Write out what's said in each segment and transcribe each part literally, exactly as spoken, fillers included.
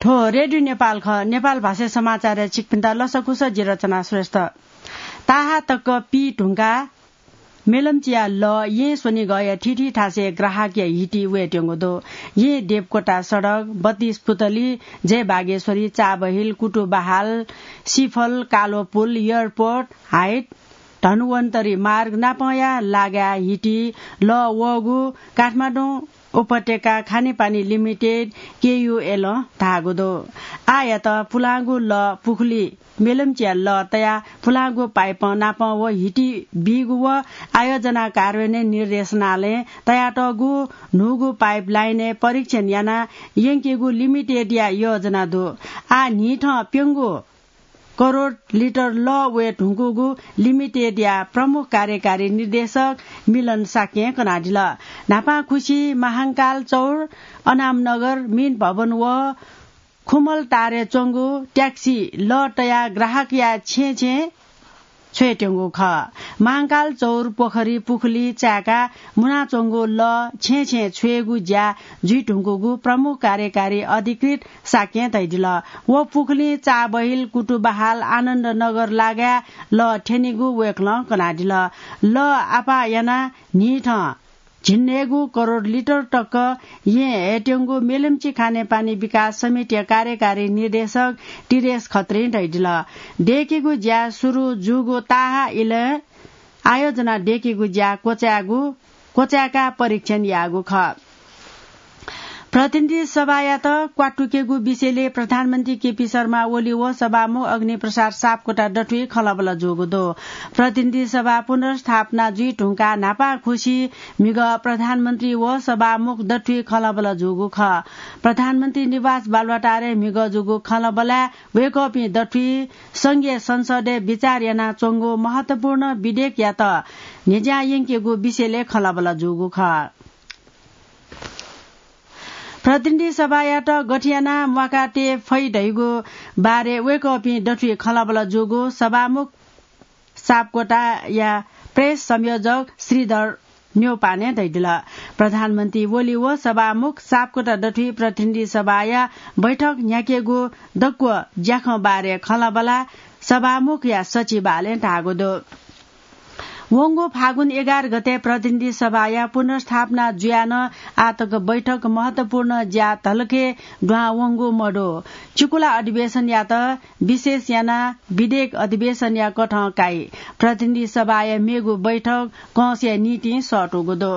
थ्व रेडियो नेपाल खः। नेपाल भाषाय् समाचारय् छिकपिन्त लसकुस, जि रचना श्रेष्ठ। ताहा तक पी धुंकाः मेलम्चिया लः येँ स्वनिगःया थीथी थासय् ग्राहकया हिति वयेत्यंगु दु। येँ देवकोटा सडक, बत्तीस पुतली, जय बागेश्वरी, चाबहिल, कुतुबहाल, सिफल, कालोपुल, एयरपोर्ट हाइट, धन्वन्तरी मार्ग नापंया लागाय् हिति लः वःगु काठमाडौं उपत्यका खानेपानी लिमिटेड, केयूएलं धाःगु दु। आःयात पुलांगु लः पुखुली मेलम्चिया लः तयाः पुलांगु पाइपं नापं व हिति बीगु व आयोजना कार्यान्वयन निर्देशनालयं तयातःगु न्हूगु पाइपलाइनय् परीक्षण यानाः यंकेगु लिमिटेडया योजना दु। आः न्हिथं प्यंगू करोड लिटर लः वये धुंकूगु लिमिटेडया प्रमुख कार्यकारी निर्देशक मिलन शाक्यं कनादिल। न्हापांखुसी महांकाल चौर, अनामनगर, मिन भवन व खुमलटारय् च्वंगु ट्याक्सी लः तयाः ग्राहकया छेँय् छेँय् छ्वयेत्यंगु खः। महांकाल चौर, पोखरी, पुखुली चाय्‌काः मुनाच्वंगु लः छेँय् छेँय् छ्वयेगु ज्या जुइधुंकूगु प्रमुख कार्यकारी अधिकृत शाक्यं धयादिल। व पुखुलिं चाबहिल, कुतुबहाल, आनन्दनगर लागाय् लः थ्यनीगु वय्‌कलं कनादिल। लः आपाः यानाः न्हिथं झिंन्हय्‌गू करोड लिटर तक येँ हयेत्यंगु मेलम्ची खानेपानी विकास समितिया कार्यकारी निर्देशक तिरेश खत्रीं धयादिल। दय्‌केगु ज्या सुरु जूगु ताहा इलय् आयोजना दय्‌केगु ज्या क्वचायेगु, क्वचाय्‌काः परीक्षण याःगु खः। प्रतिनिधि सभायात क्वातुकेगु विषयलय् प्रधानमन्त्री केपी शर्मा ओली व सभामुख अग्निप्रसाद सापकोटा दथुइ खँल्हाबल्हा जूगु दु। प्रतिनिधि सभा पुनर्स्थापना जुइधुंकाः न्हापांखुसी म्हिगः प्रधानमन्त्री व सभामुख दथुइ खँल्हाबल्हा जूगु खः। प्रधानमन्त्री निवास बालुवाटारय् म्हिगः जूगु खँल्हाबल्हाय् वय्‌कःपिं दथुइ संघीय संसदय् बिचाः यानाच्वंगु महत्वपूर्ण विधेयकयात न्ह्यज्यां यंकेगु विषयलय् खँल्हाबल्हा जूगु खः। प्रतिनिधि सभायात गथे यानाः म्वाकातये फइ धइगु बारे वय्‌कःपिं दथुइ खँल्हाबल्हा जूगु सभामुख सापकोटाया प्रेस संयोजक श्रीधर न्यौपाने धयादिल। प्रधानमन्त्री ओली व सभामुख सापकोटा दथुइ प्रतिनिधि सभाया बैठक न्ह्याकेगु दक्व ज्याखँ बारे खँल्हाबल्हा सभामुखया सचिवालयं धाःगु दु। वंगु फागुन एघार गते प्रतिनिधि सभाया पुनर्स्थापना जुयाः नं आःतक बैठक महत्वपूर्ण ज्या धलखे दुहां वंगु मदु। चिकुला अधिवेशनयात विशेष यानाः विधेयक अधिवेशनया कथं काइ। प्रतिनिधि सभाया मेगु बैठक कंसया निंतिं सःतूगु दु।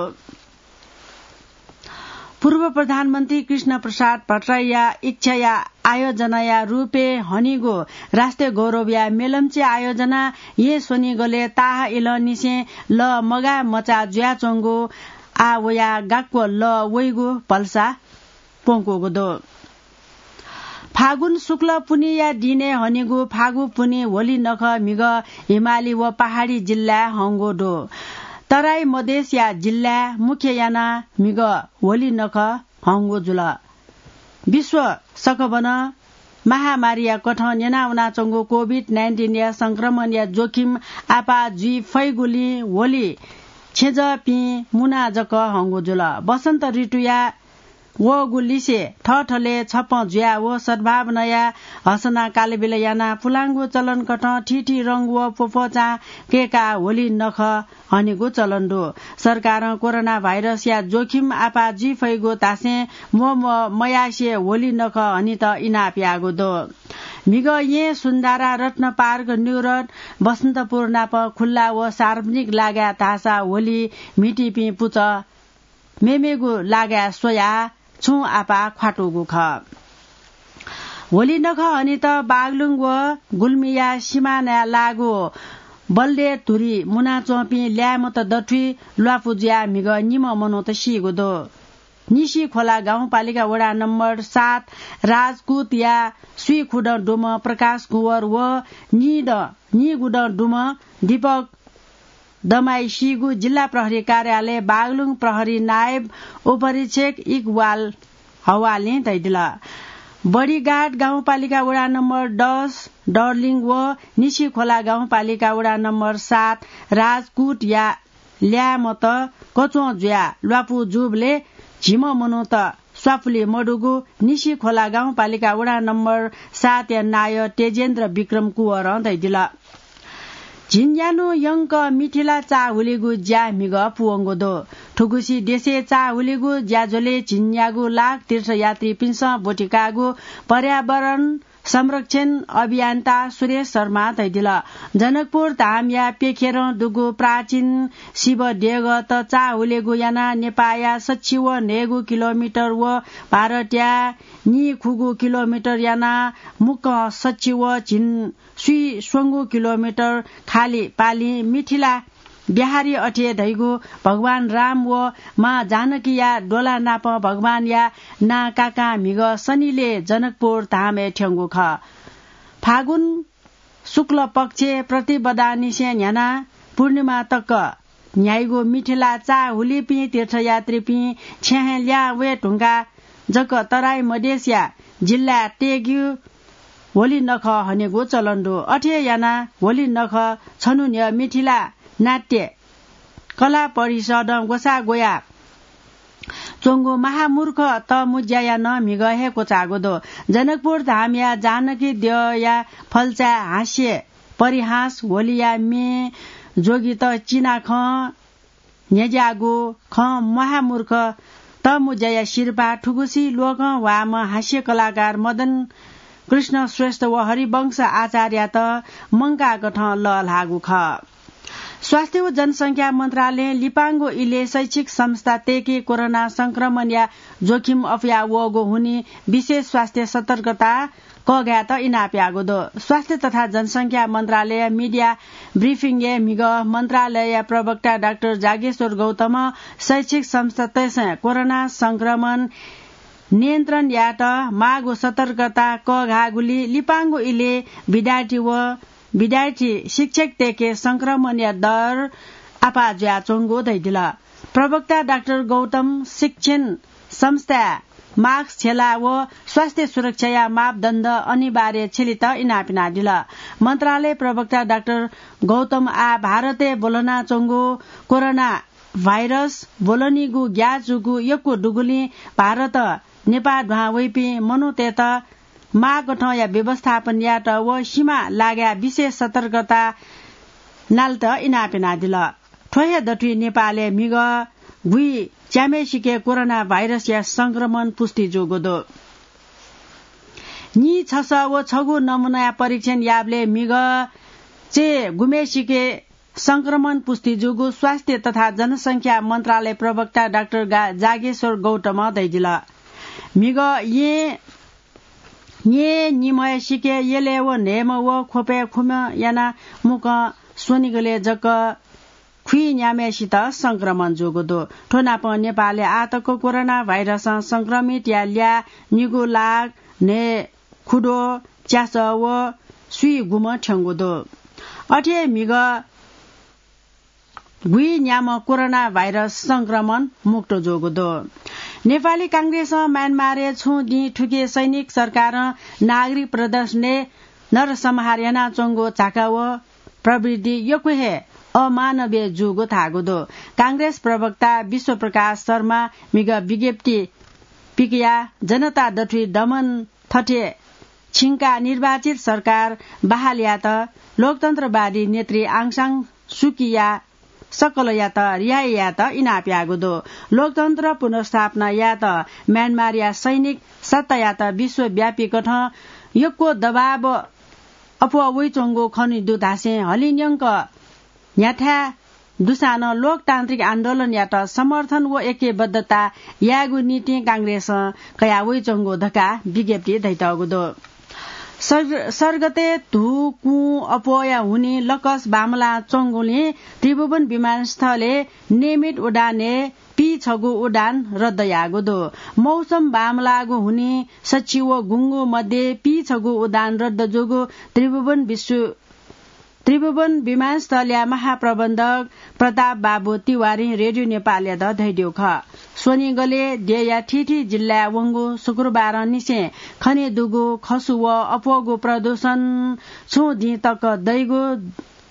पूर्व प्रधानमन्त्री कृष्ण प्रसाद भट्टराईया इच्छाया आयोजनाया रूपय् हनीगु राष्ट्रिय गौरवया मेलम्ची आयोजना येँ स्वनिगलय् ताहा इलंनिसें लः मगाः मचाः जुयाच्वंगु आः वयाः गाक्व लः वइगु भलसा प्वंकूगु दु। फागुन शुक्ल पुन्हिया दिनय् हनीगु फागु पुन्हि होली नखः म्हिगः हिमाली व पहाडी जिल्लाय् हंगु दु। तराई मधेसया जिल्लाय् मुख्य यानाः म्हिगः होली नखः हंगु जुल। विश्व सकभनं महामारीया कथं न्यनावनाच्वंगु कोभिड नाइन्टिनया संक्रमणया जोखिम आपाः जुइ फइगुलिं होली छेँजःपिं मुनाः जक हंगु जुल। वसन्त ऋतुया वःगु लिसे थःथलय् छप्पँ जुयाः व सद्भावनाया हसना कालबिल यानाः पुलांगु चलनकथं थीथी रंग व प्वप्वचां कय्काः होली नखः हनेगु चलन दु। सरकारं कोरोना भाइरसया जोखिम आपाः जुइ फइगु धासें म्वःम्वः मयासें होली नखः हनेत इनाप याःगु दु। म्हिगः येँ सुन्धारा, रत्न पार्क, न्यू रोड, बसन्तपुर नाप खुल्ला व सार्वजनिक लागाय् धाःसा होली म्हितीपिं पुचः मेमेगु लागाय् स्वयाः छुं आपाः ख्वातूगु खः। होली नखः हनेत बागलुङ व गुल्मीया सिमानाय् लाःगु बल्दे धुरी मुनाच्वंपिं ल्याय्‌मत दथुइ ल्वापु जुयाः म्हिगः निम्ह मनूत सीगु दु। निसी खोला गाउँपालिका वडा नम्बर सात राजकुतया स्वीखुदँ दुम्ह प्रकाश कुँवर व निदँ निगुदँ दुम्ह दीपक दमाई सीगु जिल्ला प्रहरी कार्यालय बागलुङ प्रहरी नायब उपरीक्षक इकबाल हवालय् धयादिल। बडीघाट गाउँपालिका वडा नम्बर दस डर्लिङ व निसी खोला गाउँपालिका वडा नम्बर सात राजकुतया ल्याय्‌मत कच्वं जुयाः ल्वापु जूबलय् झिम्ह मनूत स्वापुलि मदुगु निसी खोला गाउँपालिका वडा नम्बर सातया नायः तेजेन्द्र विक्रम कुँवरं धयादिल। झिंन्यान्हु यंक मिथिला चाःहुलिगु ज्या म्हिगः पूवंगु दु। थुगुसी देशय् चाःहुलिगु ज्याझ्वलय् झिंन्यागू लाख तीर्थयात्रीपिन्सं ब्वति काःगु पर्यावरण संरक्षण अभियन्ता सुरेश शर्मां धयादिल। जनकपुर धामया प्यखेरं दुगु प्राचीन शिव देगःत चाःहुलिगु यानाः नेपाःया सच्छि व न्हय्गू किलोमिटर व भारतया नीखुगू किलोमिटर यानाः मुक्कं सच्छि व झिंस्वीस्वंगू किलोमिटर खालि पालिं मिथिला बिहारी अथे धइगु भगवान राम व मां जानकीया द्वला नाप भगवानया नां काकां म्हिगः सनिलय् जनकपुर धामय् थ्यंगु खः। फागुन शुक्ल पक्षय् प्रतिपदांनिसें न्ह्यानाः पूर्णिमा तक न्ह्याइगु मिथिला चाःहुलिपिं तीर्थयात्रीपिं छेँय् हे ल्याहां वये धुंकाः जक तराई मधेसया जिल्लाय् तयेगु होली नखः हनेगु चलन दु। अथे यानाः होली नखः छन्हु न्ह्यः मिथिला नाट्य कला परिषदं ग्वसाः ग्वया च्वंगु महामूर्ख तःमुँज्याया नं म्हिगः हे क्वचाःगु दु। जनकपुर धामया जानकी द्यःया फल्चाय् हास्य परिहास, होलीया म्ये, जोगित चिनाखँ, न्ह्यज्याःगु खँ, महामूर्ख तःमुँज्याया सिरपाः थुगुसी लोकं ह्वाःम्ह हास्य कलाकार मदन कृष्ण श्रेष्ठ व हरिवंश आचार्ययात मंकाःकथं लःल्हाःगु खः। स्वास्थ्य व जनसंख्या मन्त्रालयं लिपांगु इलय् शैक्षिक संस्था तय्के कोरोना संक्रमणया जोखिम अप्वया वःगु हुनिं विशेष स्वास्थ्य सतर्कता कःघायेत इनाप याःगु दु। स्वास्थ्य तथा जनसंख्या मन्त्रालय मिडिया ब्रिफिङय् म्हिगः मन्त्रालयया प्रवक्ता डाक्टर जागेश्वर गौतमं शैक्षिक संस्थातय्सं कोरोना संक्रमण नियन्त्रण यायेत माःगु सतर्कता कःघाःगुलिं लिपांगु इलय् विद्यार्थी व विद्यार्थी शिक्षकतय्के संक्रमणया दर आपाः जुयाच्वंगु धयादिल। प्रवक्ता डाक्टर गौतमं शिक्षण संस्थाय् मास्क छ्यला व स्वास्थ्य सुरक्षाया मापदण्ड अनिवार्य छ्यलेत इनाप यानादिल। मन्त्रालय प्रवक्ता डाक्टर गौतमं आः भारतय् ब्वलनाच्वंगु कोरोना भाइरस ब्वलनीगु ग्याः जूगु यक्व दुगुलिं भारतं नेपाः दुहां वइपिं मनूतय्त माःकथंया व्यवस्थापन यायेत व सिमा लागाय् विशेष सतर्कता नालेत इनाप यानादिल। थ्व हे दथुइ नेपालय् म्हिगः गुइच्याम्हेसिके कोरोना भाइरसया संक्रमण पुष्टि जूगु दु। नीछसः व छगू नमूनाया परीक्षण याःबलय् म्हिगः चय्गुम्हेसिके संक्रमण पुष्टि जूगु स्वास्थ्य तथा जनसंख्या मन्त्रालय प्रवक्ता डाक्टर गा-, जागेश्वर गौतमं धयादिल। म्हिगः येँ न्येनिम्हय्सिके यलय् व न्हय्म्ह व ख्वपय् खुम्ह यानाः मुक्कं स्वनिगलय् जक खुइन्याम्हेसित संक्रमण जूगु दु। थ्व नापं नेपालय् आःतक कोरोना भाइरसं संक्रमितया ल्याः निगू लाख न्हय् खुद्वः च्यासः व स्वीगुम्ह थ्यंगु दु। अथे हे म्हिगः गुइन्याम्ह कोरोना भाइरस संक्रमण मुक्त जूगु दु। नेपाली कांग्रेसं म्यानमारय् छुं दिं थुखे सैनिक सरकारं नागरिक प्रदर्शनय् नरसंहार यानाच्वंगु झाका व प्रवृत्ति यक्व हे अमानवीय जूगु धाःगु दु। कांग्रेस प्रवक्ता विश्वप्रकाश शर्मां म्हिगः विज्ञप्ति पिकयाः जनता दथुइ दमन थथे छिंकाः निर्वाचित सरकार बहाल यायेत लोकतन्त्रवादी नेत्री आङ सान सुकीया सकलयात रिहाइ यायेत इनाप याःगु दु। लोकतन्त्र पुनर्स्थापना यायेत म्यानमारया सैनिक सत्तायात विश्वव्यापी कथं यक्व दबाव अप्वः वइच्वंगु खने दु धासें हलिंन्यंक न्ह्याथाय् दुसां नं लोकतान्त्रिक आन्दोलनयात समर्थन व ऐक्यबद्धता यायेगु निंतिं कांग्रेसं कयावइच्वंगु धकाः विज्ञप्ति धयातःगु दु। सर-, सर्गतय् धू कुँ अप्वःया हुनिं लकस बांमलाच्वंगुलिं त्रिभुवन विमानस्थलय् नियमित उडानय् पीछगू उडान रद्द याःगु दु। मौसम बांमलाःगु हुनिं सच्छि व गुंगू मध्ये पीछगू उडान रद्द जूगु त्रिभुवन विश्व त्रिभुवन विमानस्थलया महाप्रबन्धक प्रताप बाबु तिवारीं रेडियो नेपालयात धयादीगु खः। स्वनिगलय् देय्या थीथी जिल्लाय् वंगु शुक्रबारंनिसें खने दुगु खसु व अप्वःगु प्रदूषण छुं दिं तक दइगु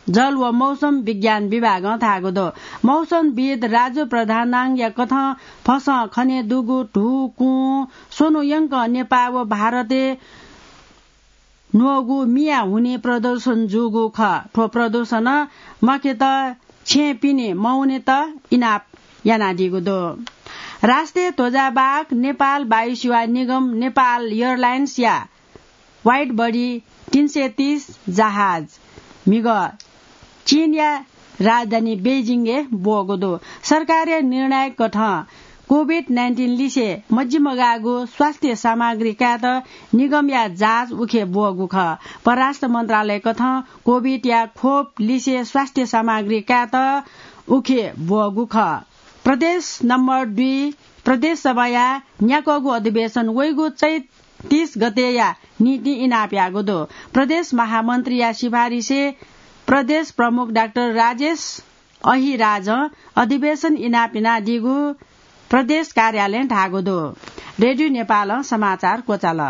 जल व मौसम विज्ञान विभागं धाःगु दु। मौसमविद राजु प्रधानाङया कथं फसं खने दुगु धू, कुँ स्वन्हु यंक नेपाः व भारतय् न्वःगु मिया हुने प्रदूषण जूगु खः। थ्व प्रदूषणं मखेत छेँय् पिने मवनेत इनाप यानादीगु दु। राष्ट्रिय ध्वजावाहक नेपाल वायुसेवा निगम नेपाल एयरलाइन्सया वाइड बडी तीन सय तीस जहाज म्हिगः चीनया राजधानी बेजिङय् ब्वःगु दु। सरकारया निर्णय कथं कोभिड नाइन्टिन लिसे मजिमगाःगु स्वास्थ्य सामग्री कायेत निगमया जहाज उखे ब्वःगु खः। परराष्ट्र मन्त्रालय कथं कोभिडया खोप लिसे स्वास्थ्य सामग्री कायेत उखे ब्वःगु खः। प्रदेश नम्बर दुई प्रदेश सभाया न्याक्वःगु अधिवेशन वइगु चैत तीस गतेया निंतिं इनाप याःगु दु। प्रदेश महामन्त्रीया सिफारिसय् प्रदेश प्रमुख डाक्टर राजेश अहिराजं अधिवेशन इनाप यानादीगु प्रदेश कार्यालयं धाःगु दु। रेडियो नेपालं समाचार क्वचाल।